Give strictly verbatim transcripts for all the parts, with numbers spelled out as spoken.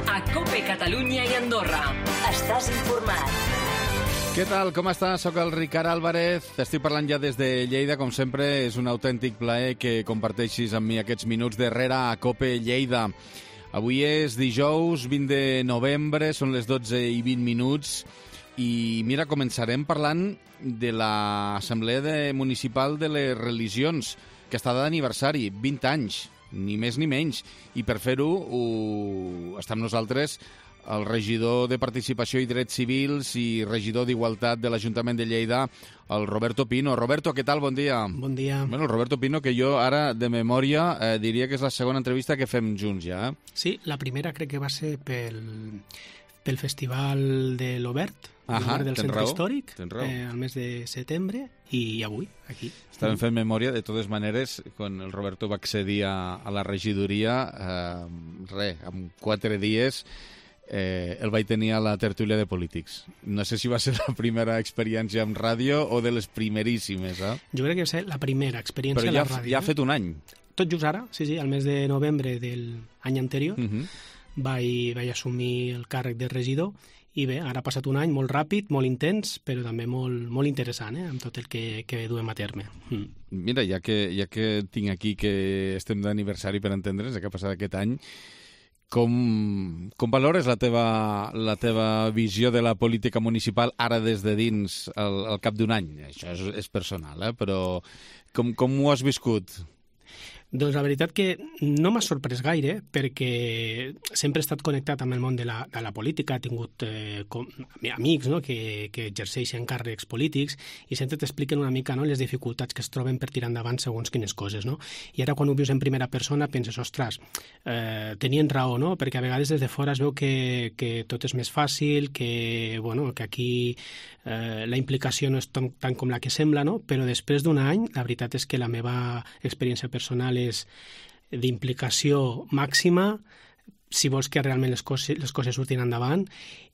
a COPE Catalunya i Andorra. Estàs informat. Què tal? Com estàs? Soc el Ricard Álvarez. T'estic parlant ja des de Lleida. Com sempre, és un autèntic plaer que comparteixis amb mi aquests minuts darrere a COPE Lleida. Avui és dijous vint de novembre, són les dotze i vint minuts. I mira, començarem parlant de l'Assemblea Municipal de les Religions, que està d'aniversari, vint anys, ni més ni menys. I per fer-ho ho... està amb nosaltres el regidor de Participació i Drets Civils i regidor d'Igualtat de l'Ajuntament de Lleida, el Roberto Pino. Roberto, què tal? Bon dia. Bon dia. Bueno, el Roberto Pino, que jo ara, de memòria, eh, diria que és la segona entrevista que fem junts ja. Eh? Sí, la primera crec que va ser pel, pel Festival de l'Obert, Ahà, del Centre raó, Històric, eh, al mes de setembre, i avui, aquí. Estàvem fent memòria, de totes maneres, quan el Roberto va accedir a, a la regidoria, eh, res, en quatre dies... Eh, el vaig tenir a la tertúlia de polítics. No sé si va ser la primera experiència en ràdio o de les primeríssimes, eh? Jo crec que va ser la primera experiència Però a ja, la ràdio. ja ha fet un any. Tot just ara, sí, sí, al mes de novembre del any anterior, Uh -huh. vaig, vaig assumir el càrrec de regidor i bé, ara ha passat un any molt ràpid, molt intens, però també molt, molt interessant, eh, amb tot el que, que duem a terme. Mm. Mira, ja que, ja que tinc aquí que estem d'aniversari per entendre's, que ha passat aquest any, Com, com valores la teva, la teva visió de la política municipal ara des de dins al, al cap d'un any? Això és, és personal, eh? Però com, com ho has viscut? Doncs la veritat que no m'ha sorprès gaire, perquè sempre he estat connectat amb el món de la, de la política, he tingut eh, com, amics, no?, que, que exerceixen càrrecs polítics i sempre t'expliquen una mica, no?, les dificultats que es troben per tirar endavant segons quines coses, no? I ara quan ho vius en primera persona penses, ostres, eh, tenien raó, no?, perquè a vegades des de fora es veu que, que tot és més fàcil, que, bueno, que aquí eh, la implicació no és tan, tan com la que sembla, no?, però després d'un any la veritat és que la meva experiència personal és d'implicació màxima si vols que realment les coses, les coses surtin endavant,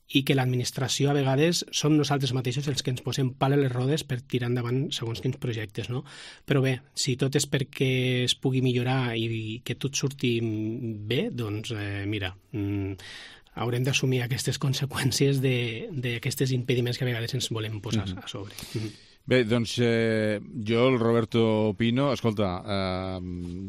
i que l'administració a vegades som nosaltres mateixos els que ens posem pal a les rodes per tirar endavant segons quins projectes, no? Però bé, si tot és perquè es pugui millorar i que tot surti bé, doncs eh, mira, mm, haurem d'assumir aquestes conseqüències d'aquestes impediments que a vegades ens volem posar mm-hmm. a sobre. Mm-hmm. Bé, doncs eh, jo, el Roberto Pino, escolta, eh,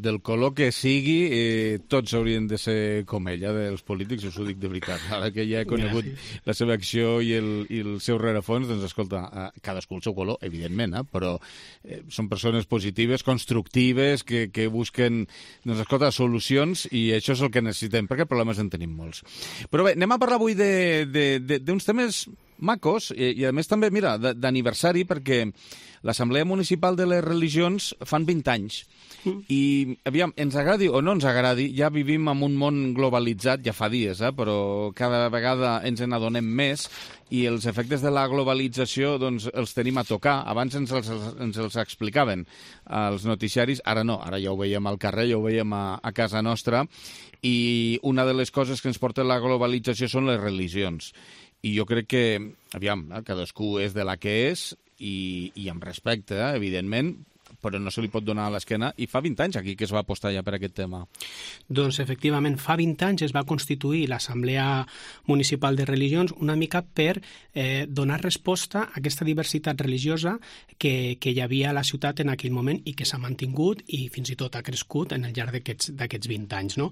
del color que sigui, eh, tots haurien de ser com ella, dels polítics, us ho dic de veritat. Ara que ja he conegut Gràcies. la seva acció i el, i el seu rerefons, doncs escolta, eh, cadascú el seu color, evidentment, eh, però eh, són persones positives, constructives, que, que busquen, doncs escolta, solucions, i això és el que necessitem, perquè problemes en tenim molts. Però bé, anem a parlar avui d'uns temes macos, i, i a més també, mira, d'aniversari, perquè l'Assemblea Municipal de les Religions fan vint anys. Mm. I, aviam, ens agradi o no ens agradi, ja vivim en un món globalitzat, ja fa dies, eh, però cada vegada ens n'adonem més, i els efectes de la globalització doncs, els tenim a tocar. Abans ens els, ens els explicaven als noticiaris, ara no, ara ja ho veiem al carrer, ja ho veiem a, a casa nostra, i una de les coses que ens porta la globalització són les religions. I jo crec que, aviam, cadascú és de la que és, i, i amb respecte, eh, evidentment, però no se li pot donar a l'esquena, i fa vint anys aquí que es va apostar ja per aquest tema. Doncs efectivament, fa vint anys es va constituir l'Assemblea Municipal de Religions una mica per eh, donar resposta a aquesta diversitat religiosa que, que hi havia a la ciutat en aquell moment i que s'ha mantingut i fins i tot ha crescut en el llarg d'aquests vint anys. No?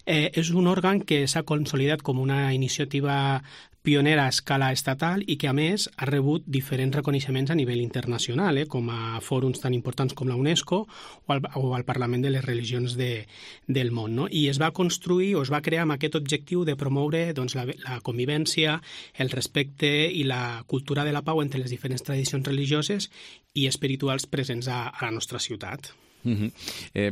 Eh, és un òrgan que s'ha consolidat com una iniciativa pionera a escala estatal i que, a més, ha rebut diferents reconeixements a nivell internacional, eh, com a fòrums tan importants com la UNESCO o al, o al Parlament de les Religions de, del món. No? I es va construir o es va crear amb aquest objectiu de promoure doncs, la, la convivència, el respecte i la cultura de la pau entre les diferents tradicions religioses i espirituals presents a, a la nostra ciutat. Uh-huh. eh,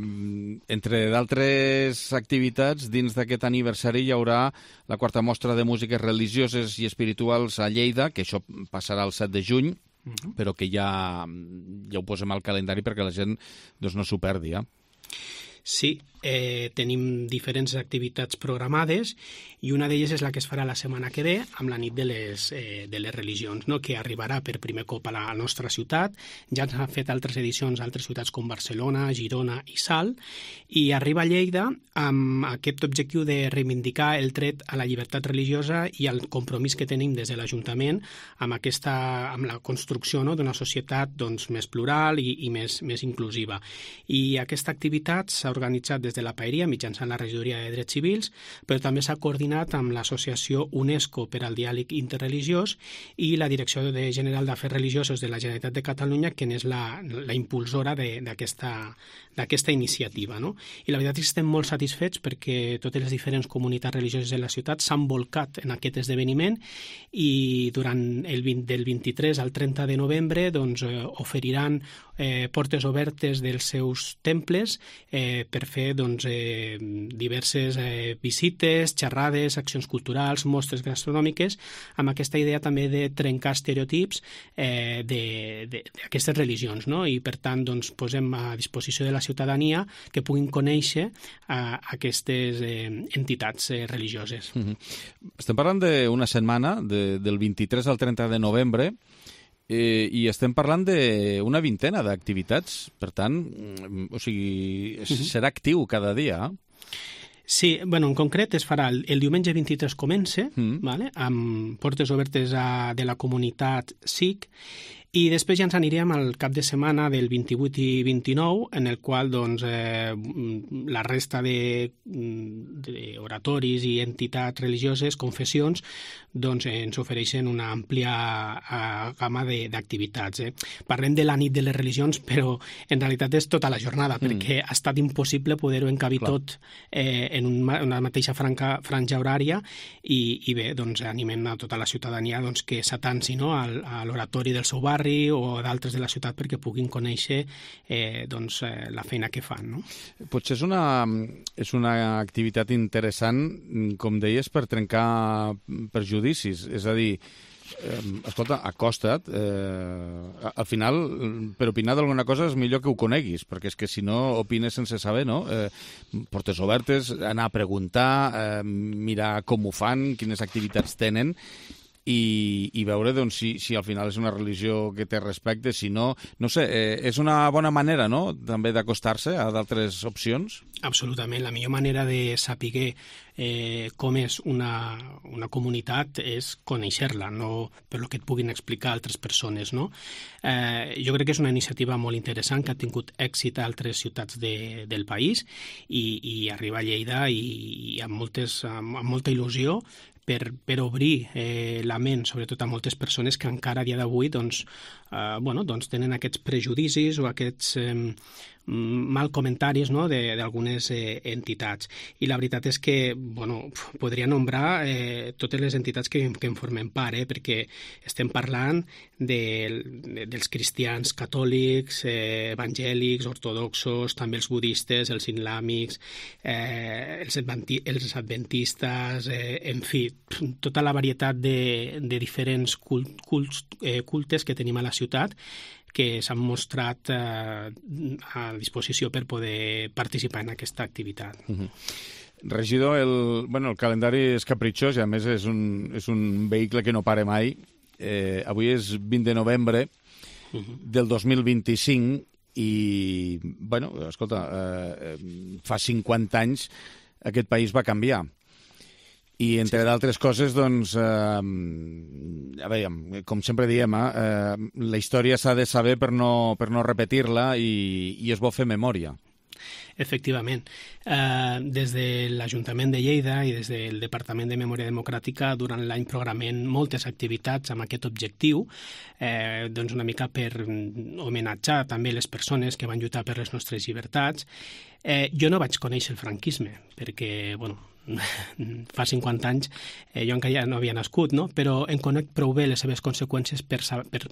entre d'altres activitats, dins d'aquest aniversari hi haurà la quarta mostra de músiques religioses i espirituals a Lleida, que això passarà el set de juny, uh-huh. però que ja, ja ho posem al calendari perquè la gent doncs, no s'ho perdi. Eh? Sí, eh, tenim diferents activitats programades i una d'elles és la que es farà la setmana que ve amb la nit de les, eh, de les religions, no? Que arribarà per primer cop a la nostra ciutat. Ja s'han fet altres edicions a altres ciutats com Barcelona, Girona i Salt, i arriba a Lleida amb aquest objectiu de reivindicar el dret a la llibertat religiosa i el compromís que tenim des de l'Ajuntament amb, aquesta, amb la construcció, no?, d'una societat doncs, més plural i, i més, més inclusiva. I aquesta activitat s'ha organitzat des de la Paeria mitjançant la Regidoria de Drets Civils, però també s'ha coordinat amb l'Associació UNESCO per al Diàleg Interreligiós i la Direcció de General d'Afers Religiosos de la Generalitat de Catalunya, que és la, la impulsora d'aquesta iniciativa. No? I la veritat és que estem molt satisfets perquè totes les diferents comunitats religioses de la ciutat s'han volcat en aquest esdeveniment i durant el vint, del vint-i-tres al trenta de novembre doncs, eh, oferiran eh, portes obertes dels seus temples eh, per fer doncs, eh, diverses eh, visites, xerrades, accions culturals, mostres gastronòmiques, amb aquesta idea també de trencar estereotips eh, d'aquestes religions, no? I per tant doncs, posem a disposició de la ciutadania que puguin conèixer eh, aquestes eh, entitats eh, religioses. Mm-hmm. Estem parlant d'una setmana, de, del vint-i-tres al trenta de novembre, eh, i estem parlant d'una vintena d'activitats. Per tant, o sigui, mm-hmm. serà actiu cada dia, eh? Sí, bueno, en concret es farà el, el diumenge vint-i-tres comença, mm. vale, amb portes obertes a, de la comunitat S I C, i després ja ens anirem al cap de setmana del vint-i-vuit i vint-i-nou, en el qual doncs, eh, la resta d'oratoris i entitats religioses, confessions, doncs, ens ofereixen una àmplia eh, gamma d'activitats. Eh. Parlem de la nit de les religions, però en realitat és tota la jornada, mm. perquè ha estat impossible poder-ho encabir Clar. tot eh, en una mateixa franca, franja horària i, i bé, doncs, animem a tota la ciutadania doncs, que s'atansi, no?, a l'oratori del seu barri o d'altres de la ciutat perquè puguin conèixer eh, doncs, eh, la feina que fan. No? Potser és una, és una activitat interessant, com deies, per trencar prejudicis. És a dir, eh, escolta, acosta't. Eh, al final, per opinar d'alguna cosa és millor que ho coneguis, perquè és que si no opines sense saber, no? Eh, portes obertes, anar a preguntar, eh, mirar com ho fan, quines activitats tenen, I, i veure doncs, si, si al final és una religió que té respecte, si no... No sé, eh, és una bona manera, no?, també d'acostar-se a d'altres opcions? Absolutament. La millor manera de saber eh, com és una, una comunitat és conèixer-la, no per lo que et puguin explicar altres persones, no? Eh, jo crec que és una iniciativa molt interessant que ha tingut èxit a altres ciutats de, del país i, i arriba a Lleida i, i amb, moltes, amb, amb molta il·lusió Per, per obrir eh, la ment, sobretot a moltes persones que encara a dia d'avui doncs, eh, bueno, doncs tenen aquests prejudicis o aquests eh, mal comentaris, no?, d'algunes eh, entitats. I la veritat és que bueno, podria nombrar eh, totes les entitats que, que en formem part, eh, perquè estem parlant de, de, dels cristians catòlics, eh, evangèlics, ortodoxos, també els budistes, els islàmics, eh, els, adventi, els adventistes, eh, en fi, tota la varietat de, de diferents cult, cults, eh, cultes que tenim a la ciutat que s'han mostrat eh, a disposició per poder participar en aquesta activitat. Uh-huh. Regidor, el, bueno, el calendari és capritxós i a més és un, és un vehicle que no para mai. Eh, avui és vint de novembre uh-huh. del dos mil vint-i-cinc i, bueno, escolta, eh, fa cinquanta anys aquest país va canviar. I, entre sí. d'altres coses, doncs, eh, a veure, com sempre diem, eh, la història s'ha de saber per no, per no repetir-la i, i és bo fer memòria. Efectivament. Eh, des de l'Ajuntament de Lleida i des del Departament de Memòria Democràtica durant l'any programem moltes activitats amb aquest objectiu, eh, doncs una mica per homenatjar també les persones que van lluitar per les nostres llibertats. Eh, jo no vaig conèixer el franquisme perquè, bueno, fa cinquanta anys eh, jo encara ja no havia nascut, no? Però em conec prou bé les seves conseqüències per, per,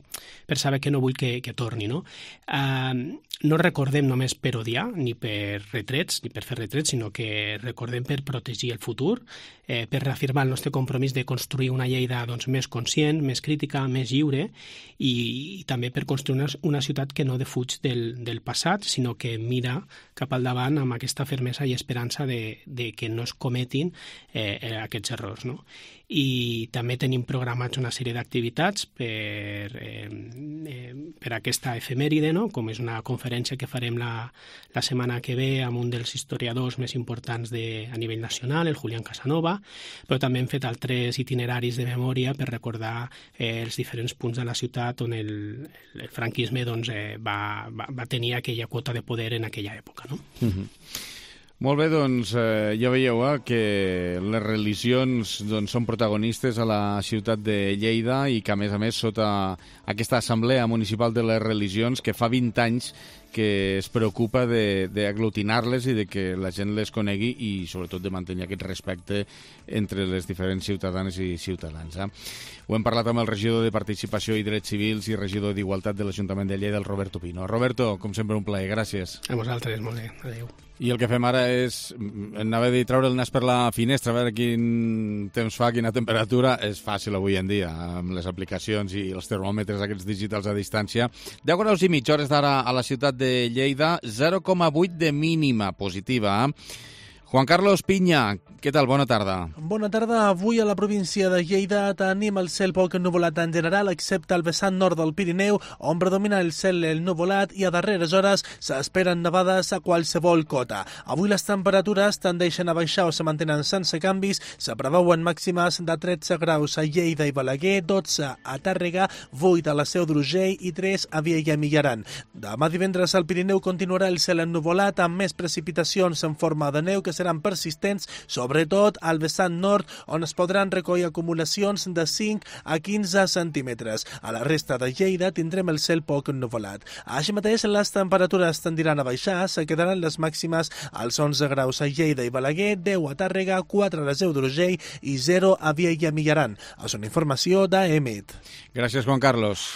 per saber que no vull que, que torni, no? Uh, no recordem només per odiar, ni per retrets, ni per fer retrets, sinó que recordem per protegir el futur, eh, per reafirmar el nostre compromís de construir una Lleida doncs, més conscient, més crítica, més lliure, i, i també per construir una, una ciutat que no defuig del, del passat, sinó que mira cap al davant amb aquesta fermesa i esperança de, de que no es cometin eh, aquests errors, no? I també tenim programats una sèrie d'activitats per, eh, eh, per aquesta efemèride, no? Com és una conferència que farem la, la setmana que ve amb un dels historiadors més importants de, a nivell nacional, el Julián Casanova, però també hem fet altres itineraris de memòria per recordar eh, els diferents punts de la ciutat on el, el franquisme doncs, eh, va, va, va tenir aquella quota de poder en aquella època, no? Mm-hmm. Molt bé, doncs eh, ja veieu eh, que les religions doncs, són protagonistes a la ciutat de Lleida i que, a més a més, sota aquesta Assemblea Municipal de les Religions, que fa vint anys que es preocupa d'aglutinar-les i de que la gent les conegui i, sobretot, de mantenir aquest respecte entre les diferents ciutadanes i ciutadans. Eh? Ho hem parlat amb el regidor de Participació i Drets Civils i regidor d'Igualtat de l'Ajuntament de Lleida, el Roberto Pino. Roberto, com sempre, un plaer. Gràcies. A vosaltres, molt bé. Adéu. I el que fem ara és, anava a dir, treure el nas per la finestra, a veure quin temps fa, quina temperatura. És fàcil avui en dia, amb les aplicacions i els termòmetres aquests digitals a distància. deu graus i mig, hores d'ara a la ciutat de Lleida, zero coma vuit de mínima positiva. Juan Carlos Piña, què tal? Bona tarda. Bona tarda. Avui a la província de Lleida tenim el cel poc ennuvolat en general, excepte al vessant nord del Pirineu, on predomina el cel ennuvolat i a darreres hores s'esperen nevades a qualsevol cota. Avui les temperatures tendeixen a baixar o se mantenen sense canvis. Se preveuen màximes de tretze graus a Lleida i Balaguer, dotze a Tàrrega, vuit a la Seu d'Urgell i tres a Viella i Millaran. Demà divendres al Pirineu continuarà el cel ennuvolat amb més precipitacions en forma de neu que seran persistents, sobretot al vessant nord, on es podran recollir acumulacions de cinc a quinze centímetres. A la resta de Lleida tindrem el cel poc ennuvolat. Així mateix, les temperatures tendiran a baixar, se quedaran les màximes als onze graus a Lleida i Balaguer, deu a Tàrrega, quatre a la Seu d'Urgell i zero a Viella i Millaran. És una informació d'A E M I T. Gràcies, Juan Carlos.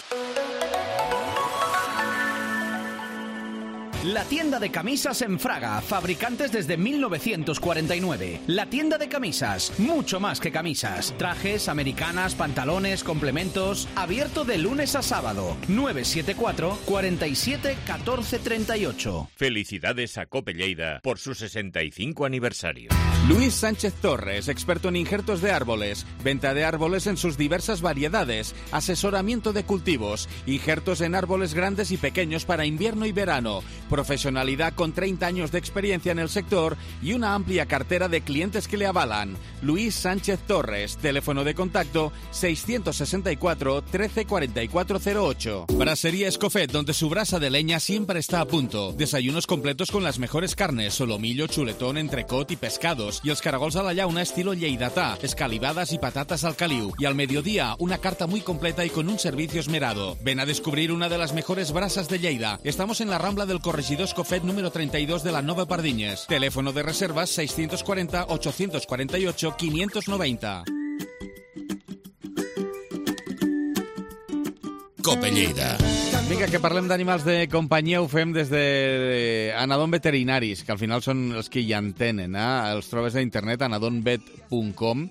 La tienda de camisas en Fraga, fabricantes desde mil novecientos cuarenta y nueve. La tienda de camisas, mucho más que camisas. Trajes, americanas, pantalones, complementos. Abierto de lunes a sábado. nueve siete cuatro, cuatro siete, uno cuatro tres ocho. Felicidades a Cope Lleida por su sesenta y cinco aniversario. Luis Sánchez Torres, experto en injertos de árboles, venta de árboles en sus diversas variedades, asesoramiento de cultivos, injertos en árboles grandes y pequeños para invierno y verano, profesionalidad con treinta años de experiencia en el sector y una amplia cartera de clientes que le avalan. Luis Sánchez Torres, teléfono de contacto seiscientos sesenta y cuatro, trece cuarenta y cuatro cero ocho. Brasería Escofet, donde su brasa de leña siempre está a punto. Desayunos completos con las mejores carnes, solomillo, chuletón, entrecot y pescados. Y els caragols a la llauna estilo lleidatà, escalivadas y patatas al caliu. Y al mediodía, una carta muy completa y con un servicio esmerado. Ven a descubrir una de las mejores brasas de Lleida. Estamos en la Rambla del Corregidor Escofet número treinta y dos de la Nova Pardiñes. Teléfono de reservas seiscientos cuarenta, ochocientos cuarenta y ocho, quinientos noventa. Cope Lleida. Vinga, que parlem d'animals de companyia, ho fem des de Anadon Veterinaris, que al final són els que hi entenen, eh? Els trobes a internet, anadonvet punt com.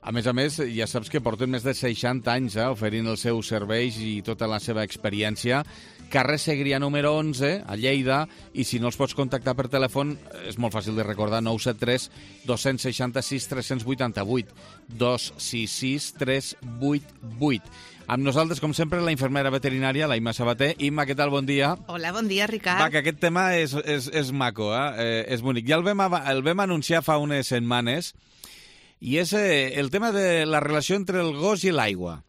A més a més, ja saps que porten més de seixanta anys eh, oferint els seus serveis i tota la seva experiència. Carrer Segrià número onze, a Lleida, i si no els pots contactar per telèfon, és molt fàcil de recordar, nou set tres, dos sis sis, tres vuit vuit, dos sis sis, tres vuit vuit. Amb nosaltres, com sempre, la infermera veterinària, la Imma Sabater. Imma, què tal? Bon dia. Hola, bon dia, Ricard. Va, que aquest tema és, és, és maco, eh? eh? És bonic. Ja el vam, el vam anunciar fa unes setmanes, i és eh, el tema de la relació entre el gos i l'aigua.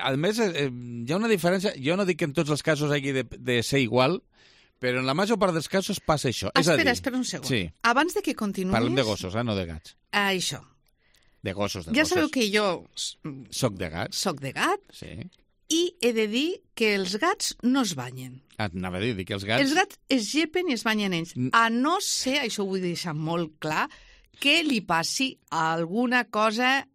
A més, eh, hi ha una diferència. Jo no dic que en tots els casos hagi de, de ser igual, però en la major part dels casos passa això. Espera, és a dir, espera un segon. Sí. Abans de que continuïs... Parlem de gossos, eh? No de gats. Ah, això. De gossos, de ja gossos. sabeu que jo... Soc de gat. Soc de gat. Sí. I he de dir que els gats no es banyen. Ah, anava a dir que els gats... Els gats es llepen i es banyen ells. A no ser, això ho vull deixar molt clar, que li passi alguna cosa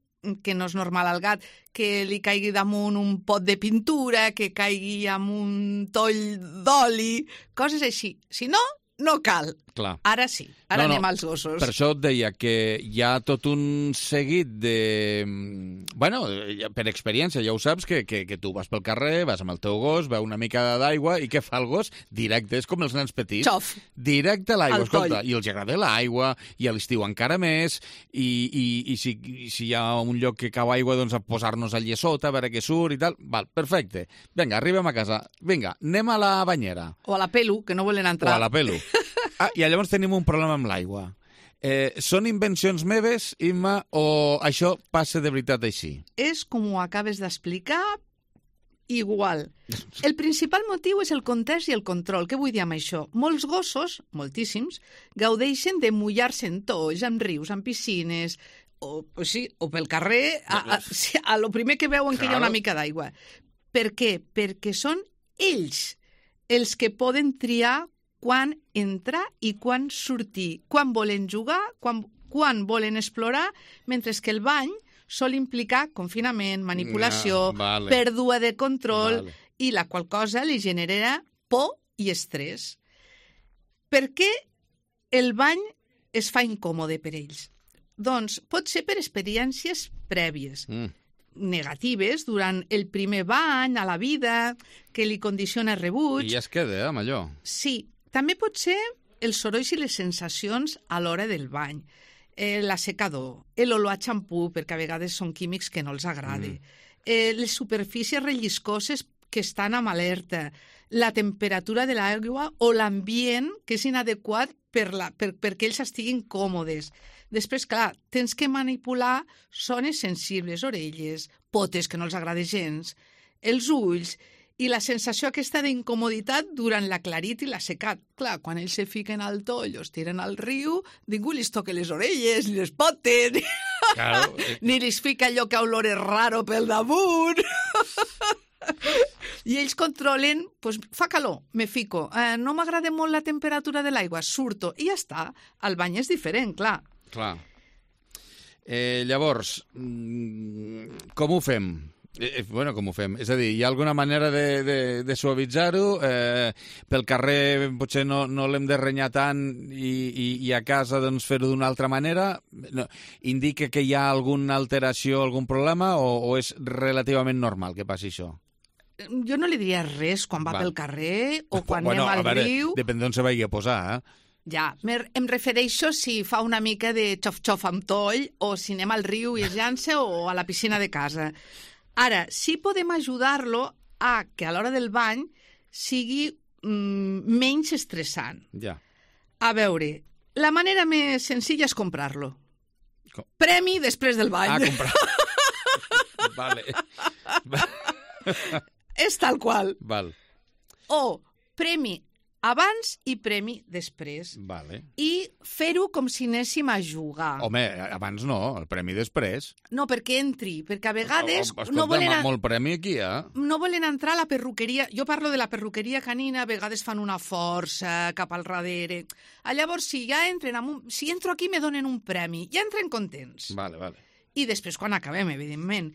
que no és normal al gat, que li caigui damunt un pot de pintura, que caigui amb un toll d'oli, coses així. Si no, no cal. Clar. Ara sí, ara no, no, anem als gossos. Per això et deia que hi ha tot un seguit de... Bueno, per experiència, ja ho saps, que, que, que tu vas pel carrer, vas amb el teu gos, veu una mica d'aigua, i què fa el gos? Directe, és com els nens petits. Xof. Directe a l'aigua, Al escolta, coll. i els agrada l'aigua, i a l'estiu encara més, i, i, i si, si hi ha un lloc que cau aigua, doncs a posar-nos allà sota, a veure què surt i tal. Val, perfecte. Vinga, arribem a casa. Vinga, anem a la banyera. O a la pelu, que no volen entrar. O a la pelu. Ah, i llavors tenim un problema amb l'aigua. Eh, són invencions meves, Imma, o això passa de veritat així? És com ho acabes d'explicar, igual. El principal motiu és el context i el control. Què vull dir amb això? Molts gossos, moltíssims, gaudeixen de mullar-se en tolls, en rius, en piscines, o, o, sí, o pel carrer, a, a, a, a lo primer que veuen que hi ha una mica d'aigua. Per què? Perquè són ells els que poden triar quan entrar i quan sortir, quan volen jugar, quan, quan volen explorar, mentre que el bany sol implicar confinament, manipulació, no, vale. pèrdua de control, Vale. i la qual cosa li generarà por i estrès. Per què el bany es fa incòmode per ells? Doncs pot ser per experiències prèvies. Mm. Negatives durant el primer bany a la vida, que li condiciona rebuig. I ja es queda, eh, amb allò. Sí, també pot ser els sorolls i les sensacions a l'hora del bany, eh, l'assecador, l'olor a xampú, perquè a vegades són químics que no els agrada, mm. eh, les superfícies relliscoses que estan amb alerta, la temperatura de l'aigua o l'ambient que és inadequat per la, per, perquè ells estiguin còmodes. Després, clar, tens que manipular zones sensibles, orelles, potes que no els agrada gens, els ulls, i la sensació aquesta d'incomoditat durant la clarit i la secat. Clar, quan ells se fiquen al toll o es tiren al riu, ningú li toca les orelles, ni les potes, ni, Claro. ni li fica allò que olores raro pel damunt. I ells controlen, pues, fa calor, me fico, eh, no m'agrada molt la temperatura de l'aigua, surto, i ja està. El bany és diferent, clar. Clar. Eh, llavors, mm, com ho fem? Eh, bueno, com ho fem? És a dir, hi ha alguna manera de, de, de suavitzar-ho? Eh, pel carrer potser no, no l'hem de renyar tant i, i, i a casa doncs, fer-ho d'una altra manera? No. Indica que hi ha alguna alteració, algun problema, o, o és relativament normal que passi això? Jo no li diria res quan va Val. pel carrer o quan bueno, anem al a veure, riu. Depèn d'on se vagi a posar, eh? Ja, em refereixo si fa una mica de xof-xof amb toll o si anem al riu i es llança o a la piscina de casa. Ara, sí podem ajudar-lo a que a l'hora del bany sigui mm, menys estressant. Ja. A veure, la manera més senzilla és comprar-lo. Com? Premi després del bany. Ah, comprar. Vale. És tal qual. Val. O premi abans i premi després. Vale. I fer-ho com si anéssim a jugar. Home, abans no, el premi després. No, perquè entri, perquè a vegades O- o- escolta, no volen... A... molt premi aquí, eh? no volen entrar a la perruqueria. Jo parlo de la perruqueria canina, a vegades fan una força cap al darrere. Ah, llavors, si ja entren amb un... Si entro aquí, me donen un premi. Ja entren contents. Vale, vale. I després, quan acabem, evidentment.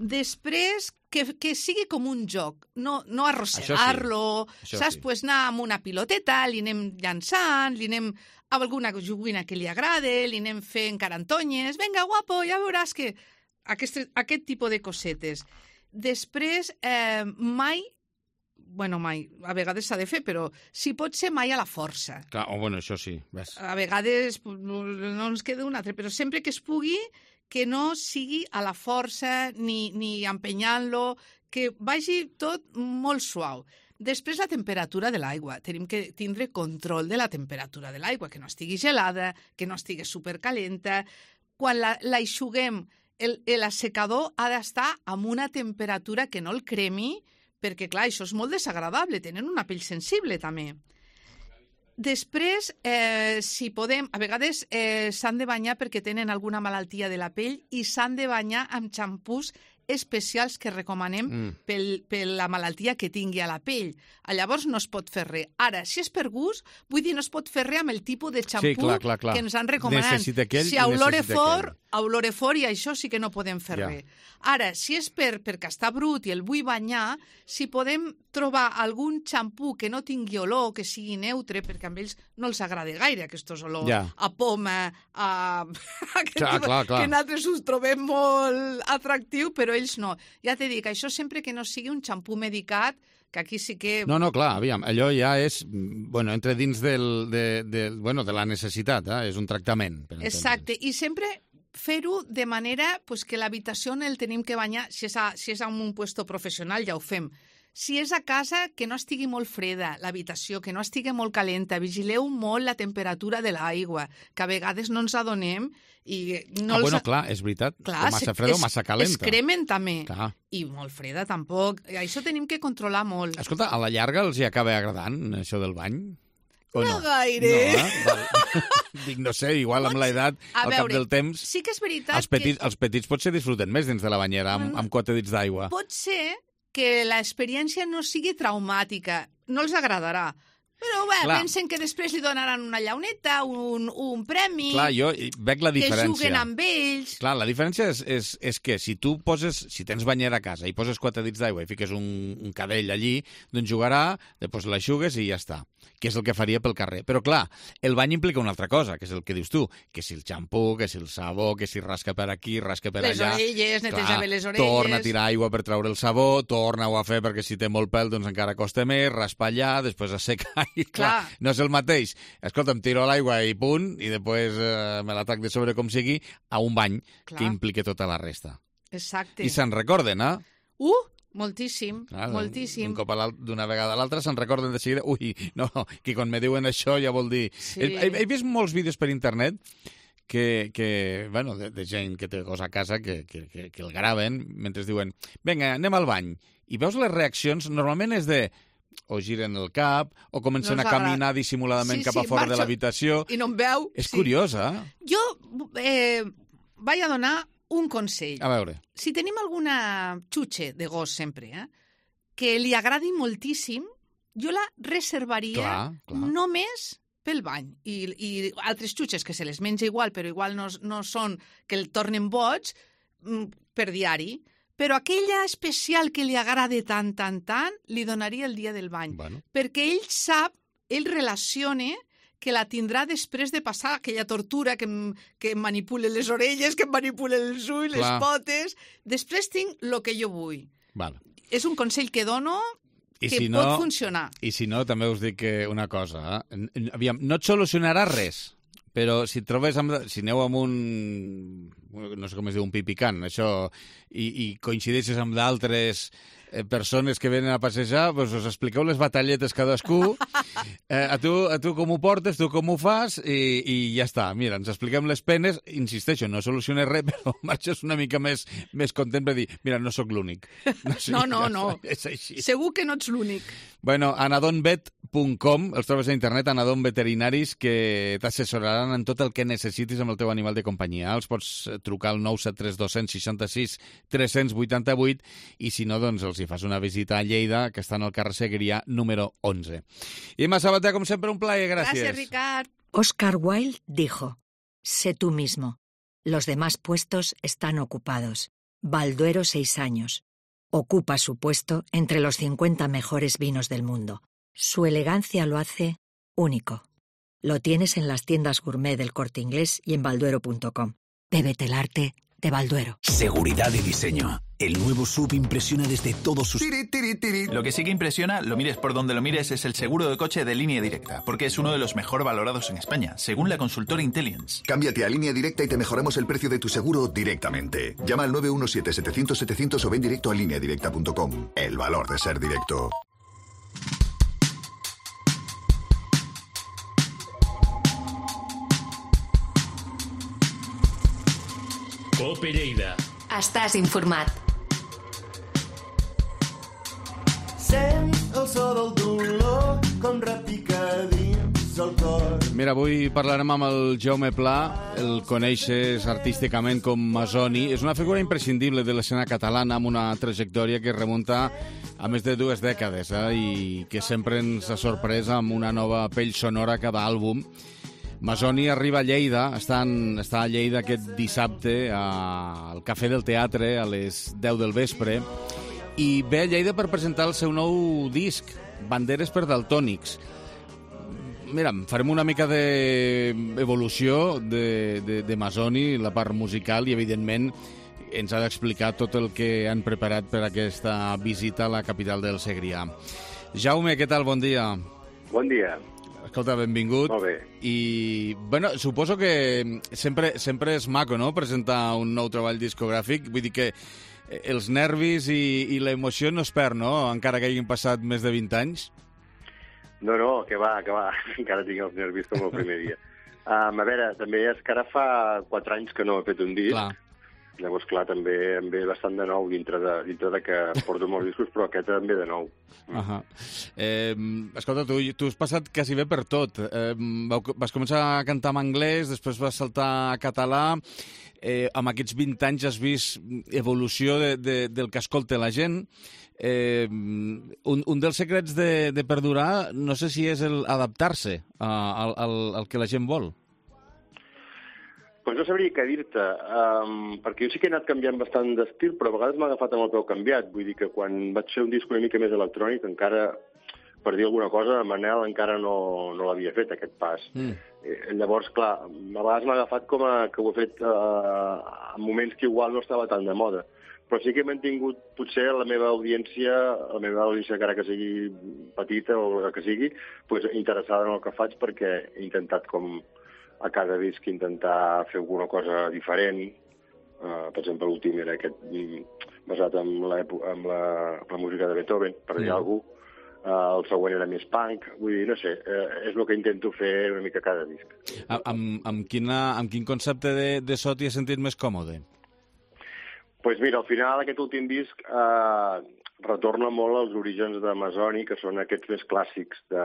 Després, que, que sigui com un joc, no, no arrossegar-lo, Això saps? sí. Pues anar amb una piloteta, li anem llançant, li anem a alguna joguina que li agrade, li anem fent carantonyes, vinga, guapo, ja veuràs que... Aquest, aquest tipus de cosetes. Després, eh, mai, bueno, mai, a vegades s'ha de fer, però si pot ser mai a la força. Clar, oh, bueno, això sí, ves. A vegades pues, no no ens queda un altre, però sempre que es pugui, que no sigui a la força ni, ni empenyant-lo, que vagi tot molt suau. Després, la temperatura de l'aigua. Tenim que tindre control de la temperatura de l'aigua, que no estigui gelada, que no estigui supercalenta. Quan la, la eixuguem, el, l'assecador ha d'estar amb una temperatura que no el cremi, perquè, clar, això és molt desagradable, tenen una pell sensible, també. Després, eh, si podem, a vegades eh, s'han de banyar perquè tenen alguna malaltia de la pell i s'han de banyar amb xampús especials que recomanem mm. pel, per la malaltia que tingui a la pell. Llavors no es pot fer res. Ara, si és per gust, vull dir, no es pot fer res amb el tipus de xampú sí, clar, clar, clar. que ens han recomanat. Necessita aquell si i olore necessita fort, aquell. olore fort i això sí que no podem fer ja. res. Ara, si és per, perquè està brut i el vull banyar, si podem trobar algun xampú que no tingui olor, que sigui neutre, perquè amb ells no els agrada gaire aquests olors, ja. a poma, a... clar, clar, clar. que nosaltres us trobem molt atractiu, però ells no. Ja t'he dit, això sempre que no sigui un xampú medicat, que aquí sí que... No, no, clar, aviam, allò ja és, bueno, entre dins del, de, de, bueno, de la necessitat, eh? És un tractament. Per Exacte, i sempre fer-ho de manera pues, que l'habitació on el tenim que banyar, si és, a, si és en un puesto professional ja ho fem. Si és a casa, que no estigui molt freda l'habitació, que no estigui molt calenta, vigileu molt la temperatura de l'aigua, que a vegades no ens adonem i no ah, els... bueno, clar, és veritat, clar, o massa freda o massa calenta. Es cremen també, clar. I molt freda tampoc. Això tenim que controlar molt. Escolta, a la llarga els hi acaba agradant, això del bany? O no, no gaire. No, eh? Dic, no sé, igual amb l'edat, al cap del temps... Sí que és veritat els petits, que... Els petits potser disfruten més dins de la banyera, amb, amb quatre dits d'aigua. Pot ser que l'experiència no sigui traumàtica, no els agradarà. Però bé, clar. Pensen que després li donaran una llauneta, un, un premi... Clar, jo veig la diferència. Que juguen amb ells... Clar, la diferència és, és, és que si tu poses, si tens banyera a casa i poses quatre dits d'aigua i fiques un, un cadell allí, doncs jugarà, després l'aixugues i ja està, que és el que faria pel carrer. Però clar, el bany implica una altra cosa, que és el que dius tu, que si el xampú, que si el sabó, que si rasca per aquí, rasca per les allà... Les orelles, neteja bé les orelles... Torna a tirar aigua per treure el sabó, torna-ho a fer perquè si té molt pèl doncs encara costa més, raspar allà, després assecar i clar, clar no és el mateix. Escolta, em tiro a l'aigua i punt, i després eh, me l'atac de sobre com sigui, a un bany clar. Que implica tota la resta. Exacte. I se'n recorden, eh? Uh! Moltíssim, clar, moltíssim. Un cop d'una vegada a l'altra se'n recorden de seguida, ui, no, que quan me diuen això ja vol dir... Sí. He, he, he vist molts vídeos per internet que, que bueno, de, de gent que té cosa a casa que, que, que, que el graven mentre es diuen, vinga, anem al bany. I veus les reaccions, normalment és de... o giren el cap, o comencen no a caminar dissimuladament sí, cap a fora sí, de l'habitació. I no em veu. És sí. curiós, eh? Jo eh, vaig a donar un consell. A veure. Si tenim alguna xutxe de gos sempre, eh, que li agradi moltíssim, jo la reservaria clar, clar. Només pel bany. I, I altres xutxes que se les menja igual, però igual no, no són que el tornen boig, per diari. Però aquella especial que li agrada tant, tant, tant, li donaria el dia del bany. Bueno. Perquè ell sap, ell relaciona que la tindrà després de passar aquella tortura que em, que em manipule les orelles, que em manipule els ulls, clar. Les potes... Després tinc el que jo vull. Vale. És un consell que dono I que si pot no, funcionar. I si no, també us dic una cosa. Eh? Aviam, no et solucionarà res, però si et trobes amb, si aneu amb un... no sé com es diu, un pipicant, això, i, i coincideixes amb d'altres eh, persones que venen a passejar, doncs us expliqueu les batalletes cadascú, eh, a, tu, a tu com ho portes, tu com ho fas, i, i ja està. Mira, ens expliquem les penes, insisteixo, no soluciones res, però marxes una mica més, més content per dir, mira, no sóc l'únic. No, sí, no, no, no. És així. Segur que no ets l'únic. Bueno, anadonvet punt com, els trobes a internet, Anadon Veterinaris, que t'assessoraran en tot el que necessitis amb el teu animal de companyia. Els pots trucar al nou set tres dos sis sis tres vuit vuit i si no, doncs els hi fas una visita a Lleida, que està en el carrer Segrià número onze. Imma Sabater, com sempre, un plaer, gràcies. Gràcies, Ricard. Oscar Wilde dijo, sé tú mismo. Los demás puestos están ocupados. Balduero, seis años. Ocupa su puesto entre los cincuenta mejores vinos del mundo. Su elegancia lo hace único. Lo tienes en las tiendas gourmet del Corte Inglés y en balduero punto com. Bébete el arte de Balduero. Seguridad y diseño. El nuevo S U V impresiona desde todos sus... Tiri, tiri, tiri. Lo que sí que impresiona, lo mires por donde lo mires, es el seguro de coche de Línea Directa, porque es uno de los mejor valorados en España, según la consultora Intellience. Cámbiate a Línea Directa y te mejoramos el precio de tu seguro directamente. Llama al nueve uno siete, setecientos, setecientos o ven directo a línea directa punto com. El valor de ser directo. Cope Lleida. Estàs informat. Sent el so del dolor com repica dins el cor. Mira, avui parlarem amb el Jaume Pla, el coneixes artísticament com Masoni. És una figura imprescindible de l'escena catalana amb una trajectòria que remunta a més de dues dècades eh? I que sempre ens ha sorprès amb una nova pell sonora a cada àlbum. Masoni arriba a Lleida, està, en, està a Lleida aquest dissabte a, al Cafè del Teatre a les deu del vespre i ve a Lleida per presentar el seu nou disc, Banderes per Daltònics. Mira, farem una mica d'evolució de, de, de Masoni, la part musical, i evidentment ens ha d'explicar tot el que han preparat per aquesta visita a la capital del Segrià. Jaume, què tal? Bon dia. Bon dia. Escolta, benvingut. Molt bé. I, bueno, suposo que sempre, sempre és maco, no?, presentar un nou treball discogràfic. Vull dir que els nervis i, i l'emoció no es perd, no?, encara que hagin passat més de vint anys. No, no, que va, que va. Encara tinc els nervis com el primer dia. Um, a veure, també és que ara fa quatre anys que no he fet un disc. Clar. Llavors, clar, també em ve bastant de nou dintre de, dintre de que porto molts discos, però aquest també de nou. Uh -huh. eh, escolta, tu, tu has passat quasi bé per tot. Eh, vas començar a cantar en anglès, després vas saltar a català. Eh, amb aquests vint anys has vist evolució de, de, del que escolta la gent. Eh, un, un dels secrets de, de perdurar, no sé si és el adaptar-se al, al, al que la gent vol. Pues no sabria què dir-te, um, perquè jo sí que he anat canviant bastant d'estil, però a vegades m'ha agafat amb el peu canviat. Vull dir que quan vaig fer un disc una mica més electrònic, encara, per dir alguna cosa, Manel encara no, no l'havia fet, aquest pas. Mm. Eh, llavors, clar, a vegades m'ha agafat com a, que ho he fet uh, en moments que igual no estava tan de moda. Però sí que he mantingut, potser, la meva audiència, la meva audiència, encara que sigui petita o el que sigui, pues, interessada en el que faig, perquè he intentat com a cada disc intentar fer alguna cosa diferent. Uh, per exemple, l'últim era aquest basat en la, en la, la música de Beethoven, per dir mm. alguna cosa. Uh, el següent era més punk. Vull dir, no sé, uh, és el que intento fer una mica cada disc. Amb, amb, quina, amb quin concepte de, de so t'hi has sentit més còmode? Doncs pues mira, al final aquest últim disc uh, retorna molt als orígens de Masoni, que són aquests més clàssics de,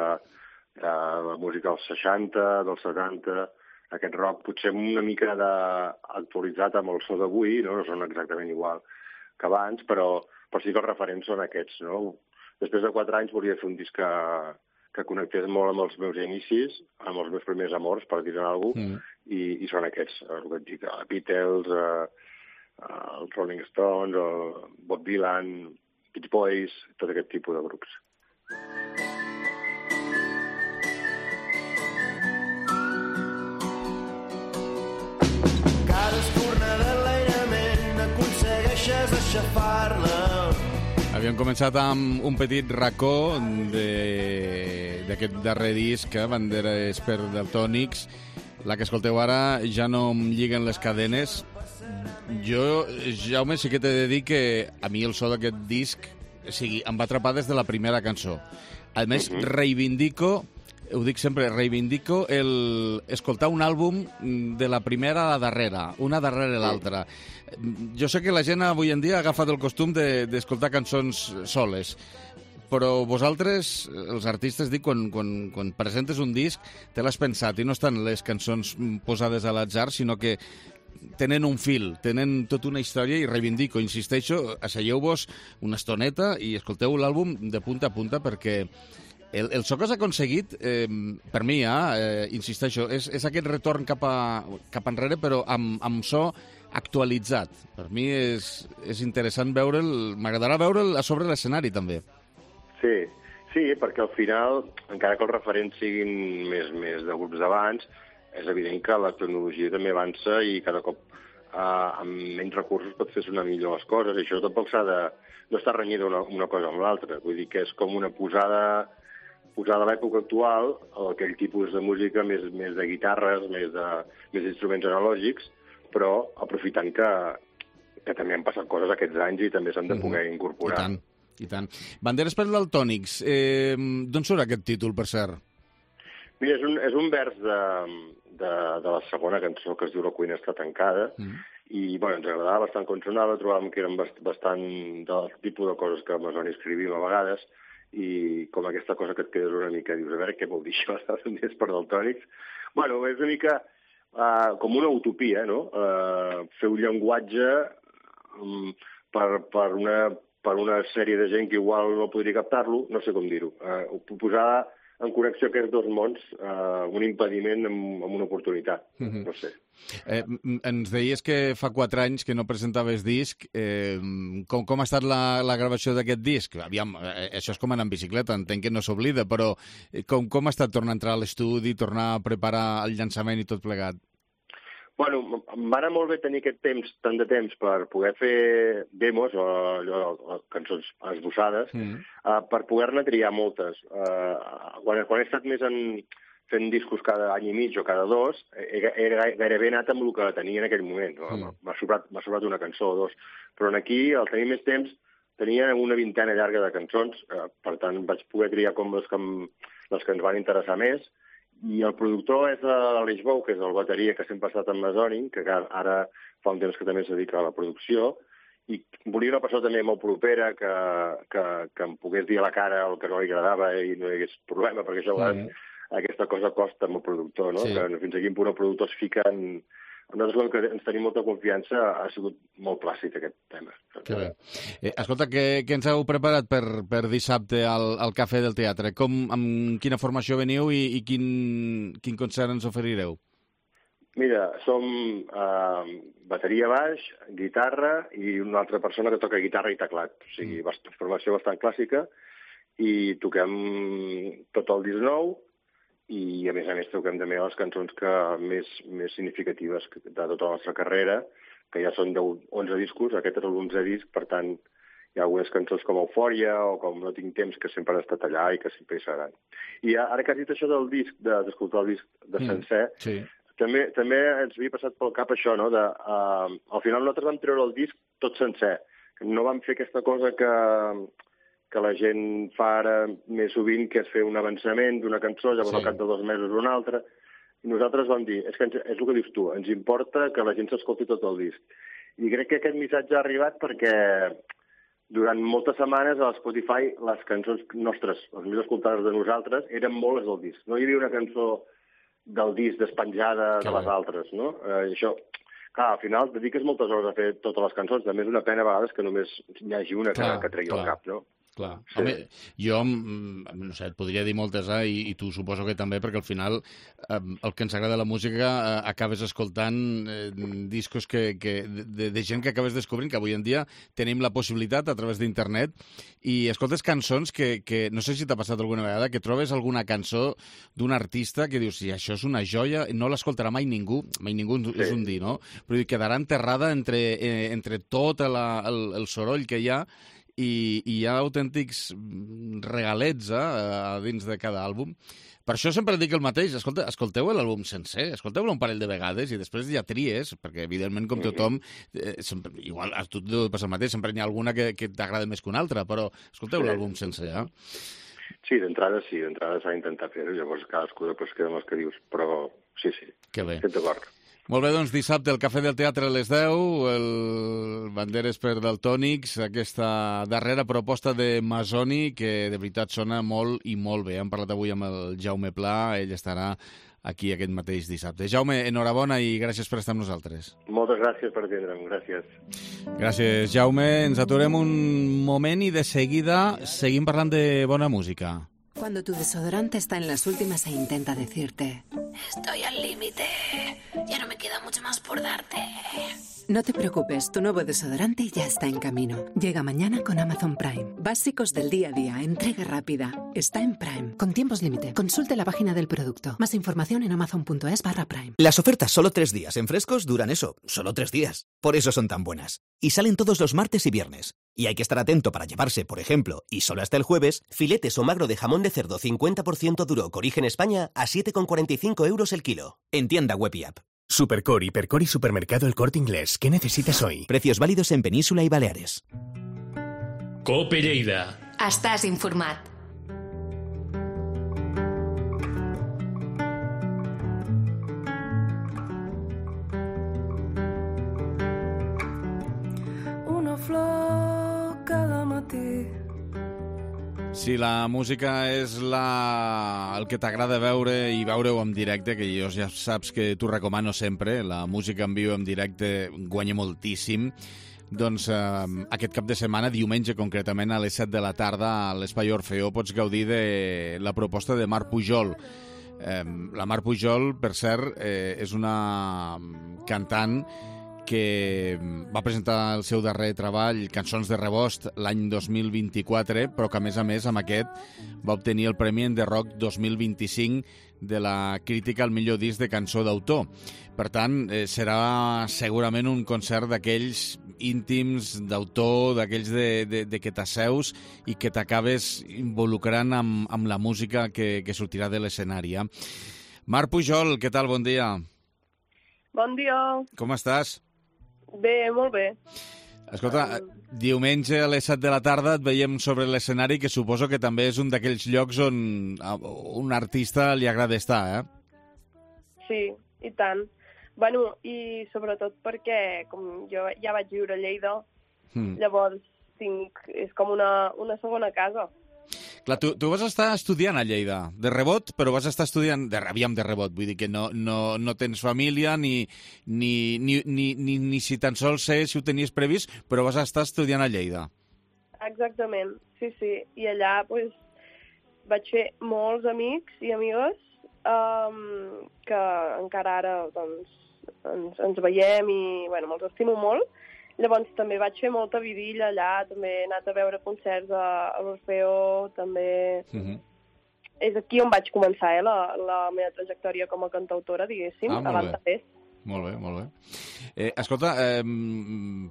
de la música dels seixanta, dels setanta, aquest rock potser una mica de, actualitzat amb el so d'avui, no? No són exactament igual que abans, però, però sí que els referents són aquests, no? Després de quatre anys volia fer un disc que, que connectés molt amb els meus inicis, amb els meus primers amors, per dir-ne alguna cosa, mm. i, i són aquests, el que et dic, els Beatles, eh, els Rolling Stones, el Bob Dylan, Beach Boys, tot aquest tipus de grups. Havíem començat amb un petit racó d'aquest darrer disc, eh, Banderes per Daltònics. La que escolteu ara, Ja no em lliguen les cadenes. Jo, Jaume, sí que t'he de dir que a mi el so d'aquest disc, o sigui, em va atrapar des de la primera cançó. A més, uh-huh. reivindico, ho dic sempre, reivindico el escoltar un àlbum de la primera a la darrera, una darrere l'altra. Jo sé que la gent avui en dia ha agafat el costum d'escoltar de, cançons soles, però vosaltres, els artistes, dic, quan, quan, quan presentes un disc, te l'has pensat, i no estan les cançons posades a l'atzar, sinó que tenen un fil, tenen tota una història, i reivindico, insisteixo, asseieu-vos una estoneta i escolteu l'àlbum de punta a punta, perquè el, el so que has aconseguit, eh, per mi, eh, insisteixo, és, és aquest retorn cap, a, cap enrere, però amb, amb so actualitzat. Per mi és, és interessant veure'l, m'agradarà veure'l a sobre l'escenari, també. Sí, sí, perquè al final, encara que els referents siguin més, més de grups d'abans, és evident que la tecnologia també avança i cada cop eh, amb menys recursos pot fer sonar millor les coses. I això tampoc s'ha de... no està renyida una, una cosa amb l'altra. Vull dir que és com una posada, posada a l'època actual, aquell tipus de música més, més de guitarres, més de més d'instruments analògics, però aprofitant que, que també han passat coses aquests anys i també s'han de poder incorporar. I tant, i tant. Banderes per Daltònics, eh, d'on surt aquest títol, per cert? Mira, és un, és un vers de, de, de la segona cançó, que es diu La cuina està tancada, mm. i bueno, ens agradava bastant com sonava, trobàvem que eren bastant del tipus de coses que Masoni escrivim a vegades, i com aquesta cosa que et quedes una mica, dius, a veure què vol dir això, més per daltònics. Bueno, és una mica uh, com una utopia, no? Uh, fer un llenguatge um, per, per, una, per una sèrie de gent que igual no podria captar-lo, no sé com dir-ho. Uh, posar en connexió aquests dos mons, uh, un impediment amb, amb una oportunitat, mm-hmm. no sé. Eh, ens deies que fa quatre anys que no presentaves disc. Eh, com, com ha estat la, la gravació d'aquest disc? Aviam, eh, això és com anar en bicicleta, entenc que no s'oblida, però com, com ha estat tornar a entrar a l'estudi, tornar a preparar el llançament i tot plegat? Bueno, em va anar molt bé tenir aquest temps, tant de temps, per poder fer demos o, o, o cançons esbossades, mm. uh, per poder-ne triar moltes. Uh, quan, quan he estat més en... fent discos cada any i mig o cada dos, era gairebé anat amb el que tenia en aquell moment. No? Mm. M'ha sobrat, m'ha sobrat una cançó o dos. Però aquí, al tenir més temps, tenia una vintena llarga de cançons, eh, per tant vaig poder triar com les que, em, les que ens van interessar més, i el productor és l'Aleix Bou, que és el bateria que sempre ha estat amb Masonic, que ara fa un temps que també es dedica a la producció, i volia una persona també molt propera que, que, que em pogués dir a la cara el que no li agradava i no hi hagués problema, perquè això a vegades mm. aquesta cosa costa amb el productor, no? Sí. Que fins a quin punt el productor es fica en... Nosaltres, que ens tenim molta confiança, ha sigut molt plàcid aquest tema. Que bé. Eh, escolta, què, què ens heu preparat per, per dissabte al, al Cafè del Teatre? Com, amb quina formació veniu i, i quin, quin concert ens oferireu? Mira, som eh, bateria baix, guitarra i una altra persona que toca guitarra i teclat. O sigui, mm. formació bastant clàssica, i toquem tot el disc nou, i a més a més toquem també les cançons que més, més significatives de tota la nostra carrera, que ja són deu, onze discos, aquest és l'onzè disc, per tant hi ha algunes cançons com Eufòria o com No tinc temps, que sempre han estat allà i que sempre hi seran. I ara que has dit això del disc, d'escoltar el disc de sencer, mm, sí. també, també ens havia passat pel cap això, no? De, uh, al final nosaltres vam treure el disc tot sencer, no vam fer aquesta cosa que... que la gent fa ara més sovint, que és fer un avançament d'una cançó, llavors sí. al cap de dos mesos una altra. I nosaltres vam dir, és, que ens, és el que dius tu, ens importa que la gent s'escolti tot el disc. I crec que aquest missatge ha arribat perquè durant moltes setmanes a Spotify les cançons nostres, les més escoltades de nosaltres, eren molt les del disc. No hi havia una cançó del disc despenjada que de les bé. altres, no? Eh, això... Clar, al final dediques moltes hores a fer totes les cançons, també és una pena a vegades que només hi hagi una clar, que, que tregui al cap, no? Clar. Sí. Home, jo, no sé, et podria dir moltes, eh, i, i tu suposo que també, perquè al final eh, el que ens agrada la música eh, acabes escoltant eh, discos que, que, de, de gent que acabes descobrint, que avui en dia tenim la possibilitat a través d'internet, i escoltes cançons que, que no sé si t'ha passat alguna vegada, que trobes alguna cançó d'un artista que dius, si això és una joia, no l'escoltarà mai ningú, mai ningú sí. és un dir, no? Però quedarà enterrada entre, eh, entre tot la, el, el soroll que hi ha, i hi ha autèntics regalets eh, a dins de cada àlbum. Per això sempre dic el mateix, escolta, escolteu l'àlbum sencer, escolteu-lo un parell de vegades i després ja tries, perquè evidentment com tothom, eh, sempre, igual a tu et passa el mateix, sempre n'hi ha alguna que, que t'agrada més que una altra, però escolteu sí. l'àlbum sencer, eh? Sí, d'entrada sí, d'entrada s'ha d'intentar fer-ho, llavors cadascú després queda amb els que dius, però sí, sí, que bé. estic d'acord. Molt bé, doncs dissabte el Cafè del Teatre a les deu, el Banderes per Daltònics, aquesta darrera proposta de Masoni, que de veritat sona molt i molt bé. Hem parlat avui amb el Jaume Pla, ell estarà aquí aquest mateix dissabte. Jaume, enhorabona i gràcies per estar amb nosaltres. Moltes gràcies per atendre'm, gràcies. Gràcies, Jaume. Ens aturem un moment i de seguida seguim parlant de bona música. Cuando tu desodorante está en las últimas e intenta decirte estoy al límite, ya no me queda mucho más por darte. No te preocupes, tu nuevo desodorante ya está en camino. Llega mañana con Amazon Prime. Básicos del día a día, entrega rápida. Está en Prime, con tiempos límite. Consulte la página del producto. Más información en amazon.es barra Prime. Las ofertas solo tres días en Frescos duran eso, solo tres días. Por eso son tan buenas. Y salen todos los martes y viernes. Y hay que estar atento para llevarse, por ejemplo, y solo hasta el jueves, filetes o magro de jamón de cerdo cincuenta por ciento duro Origen España a siete con cuarenta y cinco euros el kilo. En tienda web y app. Supercor, Hipercor y Supermercado El Corte Inglés. ¿Qué necesitas hoy? Precios válidos en Península y Baleares. Cope Lleida. Estàs informat. Una flor cada matí Si la música és la... el que t'agrada veure i veure-ho en directe, que jo ja saps que t'ho recomano sempre, la música en viu en directe guanya moltíssim, doncs eh, aquest cap de setmana, diumenge concretament, a les set de la tarda, a l'Espai Orfeó, pots gaudir de la proposta de Mar Pujol. Eh, la Mar Pujol, per cert, eh, és una cantant que va presentar el seu darrer treball, Cançons de Rebost, l'any dos mil vint-i-quatre, però que, a més a més, amb aquest va obtenir el Premi de Rock dos mil vint-i-cinc de la crítica al millor disc de cançó d'autor. Per tant, eh, serà segurament un concert d'aquells íntims d'autor, d'aquells de, de, de que t'asseus i que t'acabes involucrant amb, amb la música que, que sortirà de l'escenari. Eh? Mar Pujol, què tal? Bon dia. Bon dia. Com estàs? Bé, molt bé. Escolta, diumenge a les set de la tarda et veiem sobre l'escenari, que suposo que també és un d'aquells llocs on a un artista li agrada estar, eh? Sí, i tant. Bueno, i sobretot perquè, com jo ja vaig viure a Lleida, mm. llavors tinc, és com una, una segona casa. Clar, tu, tu vas estar estudiant a Lleida, de rebot, però vas estar estudiant, de, aviam de rebot, vull dir que no, no, no tens família, ni, ni, ni, ni, ni, ni si tan sols sé si ho tenies previst, però vas estar estudiant a Lleida. Exactament, sí, sí. I allà pues, vaig fer molts amics i amigues um, que encara ara doncs, ens, ens veiem i bueno, me'ls estimo molt. Llavors també vaig fer molta vidilla allà, també he anat a veure concerts a, a l'Orfeó, també... Uh-huh. És aquí on vaig començar, eh, la, la meva trajectòria com a cantautora, diguéssim, ah, abans de fes. Molt bé, molt bé. Eh, escolta, eh,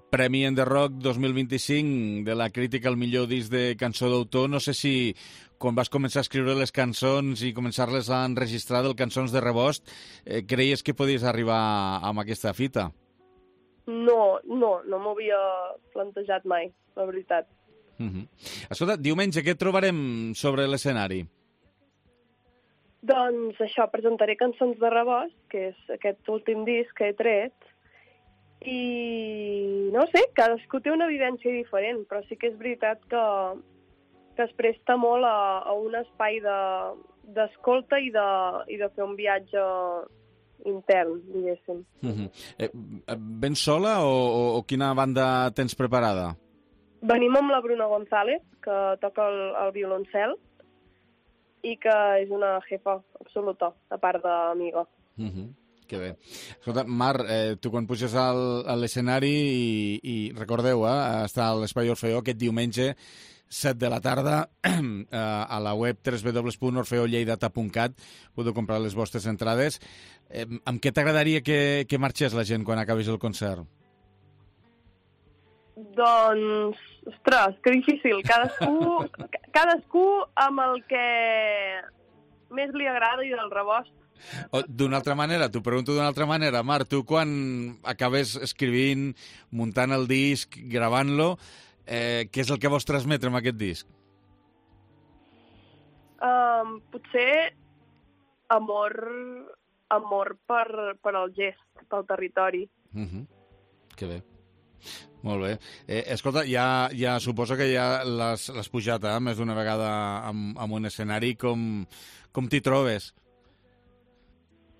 Premi en The Rock dos mil vint-i-cinc de la crítica al millor disc de cançó d'autor, no sé si quan vas començar a escriure les cançons i començar-les a enregistrar del Cançons de Rebost, eh, creies que podies arribar amb aquesta fita? No, no, no m'ho havia plantejat mai, la veritat. Uh-huh. Escolta, diumenge, què trobarem sobre l'escenari? Doncs això, presentaré Cançons de Rebost, que és aquest últim disc que he tret, i no sé, cadascú té una vivència diferent, però sí que és veritat que, que es presta molt a, a un espai d'escolta de, i, de, i de fer un viatge intern, diguéssim. Uh-huh. eh, vens sola o, o, o quina banda tens preparada? Venim amb la Bruna González, que toca el, el violoncel, i que és una jefa absoluta, a part d'amiga. Uh-huh. Que bé. Escolta, Mar, eh, tu quan puges al, a l'escenari i, i recordeu, eh, està a l'Espai Orfeó aquest diumenge, set de la tarda, a la web w w w punt orfeo lleidata punt cat podeu comprar les vostres entrades. Eh, amb què t'agradaria que, que marxés la gent quan acabis el concert? Doncs, ostres, que difícil. Cadascú, cadascú amb el que més li agrada i del rebost. D'una altra manera, t'ho pregunto d'una altra manera. Mar, tu quan acabes escrivint, muntant el disc, gravant-lo, eh, què és el que vols transmetre amb aquest disc? Um, potser amor, amor per, per al gest, pel territori. Uh-huh. Que bé. Molt bé. Eh, escolta, ja, ja suposo que ja l'has pujat eh, més d'una vegada amb, amb un escenari. Com, com t'hi trobes?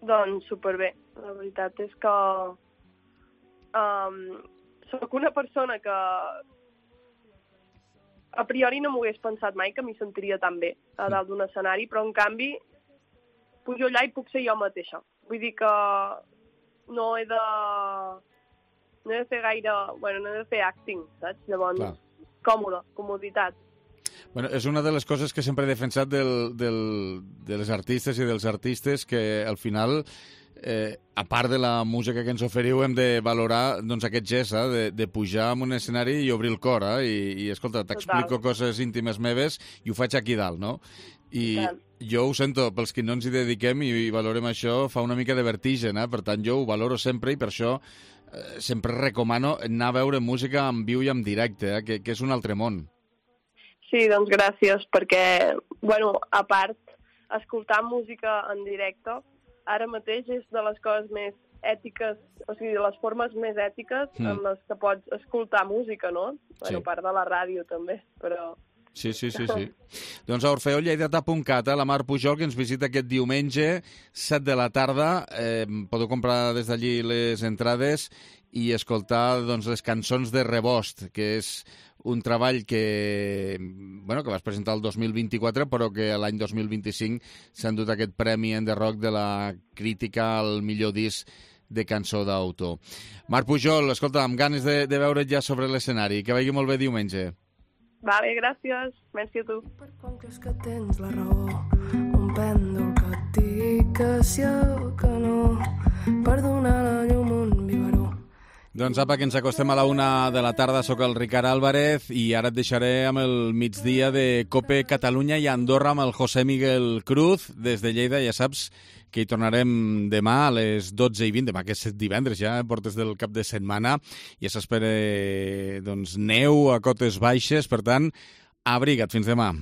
Doncs superbé. La veritat és que um, soc una persona que a priori no m'ho hagués pensat mai que m'hi sentiria tan bé a dalt d'un escenari, però en canvi pujo allà i puc ser jo mateixa. Vull dir que no he de... no he de fer gaire... bueno, no he de fer acting, saps? Llavors, clar. Còmode, comoditat. Bueno, és una de les coses que sempre he defensat del, del, de les artistes i dels artistes, que al final, eh, a part de la música que ens oferiu, hem de valorar doncs, aquest gest eh, de, de pujar en un escenari i obrir el cor. Eh? I, i escolta, t'explico coses íntimes meves i ho faig aquí dalt, no? I Total. Jo ho sento, pels que no ens hi dediquem i, i valorem això, fa una mica de vertigen, eh? Per tant, jo ho valoro sempre i per això eh, sempre recomano anar a veure música en viu i en directe, eh? que, que és un altre món. Sí, doncs gràcies, perquè, bueno, a part, escoltar música en directe ara mateix és de les coses més ètiques, o sigui, de les formes més ètiques mm. en les que pots escoltar música, no? Sí. Bueno, a part de la ràdio també, però Sí, sí, sí, sí. Doncs a orfeó lleidatà punt cat, la Mar Pujol, que ens visita aquest diumenge, set de la tarda. Eh, podeu comprar des d'allí les entrades i escoltar doncs, les cançons de Rebost, que és un treball que, bueno, que vas presentar el dos mil vint-i-quatre, però que l'any dos mil vint-i-cinc s'han dut aquest premi en The Rock de la crítica al millor disc de cançó d'autor. Mar Pujol, escolta, amb ganes de, de veure't ja sobre l'escenari. Que vagi molt bé diumenge. Vale, gràcies. Merci a tu. Per quan creus que tens la raó, un pèndol que et digui que sí o que no, per donar la llum un biberó. Doncs apa, que ens acostem a la una de la tarda. Soc el Ricard Álvarez i ara et deixaré amb el migdia de Cope Catalunya i Andorra amb el José Miguel Cruz des de Lleida. Ja saps que hi tornarem demà a les dotze i vint, demà que és divendres ja, portes del cap de setmana, i s'espera doncs, neu a cotes baixes, per tant, abriga't, fins demà.